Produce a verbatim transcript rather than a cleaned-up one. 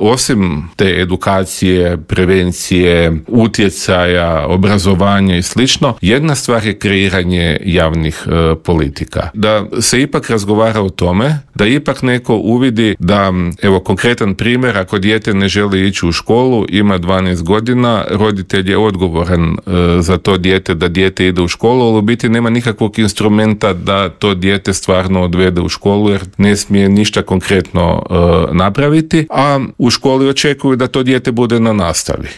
osim te edukacije, prevencije, utjecaja, obrazovanja i slično, jedna stvar je kreiranje javnih e, politika. Da se ipak razgovara o tome, da ipak neko uvidi da, evo konkretan primjer, ako dijete ne želi ići u školu, ima dvanaest godina, roditelj je odgovoran e, za to dijete, da dijete ide u školu, ali u biti nema nikakvog instrumenta da to dijete stvarno odvede u školu, jer ne smije ništa konkretno e, napraviti, a u školi očekuju da to dijete bude na nastavi.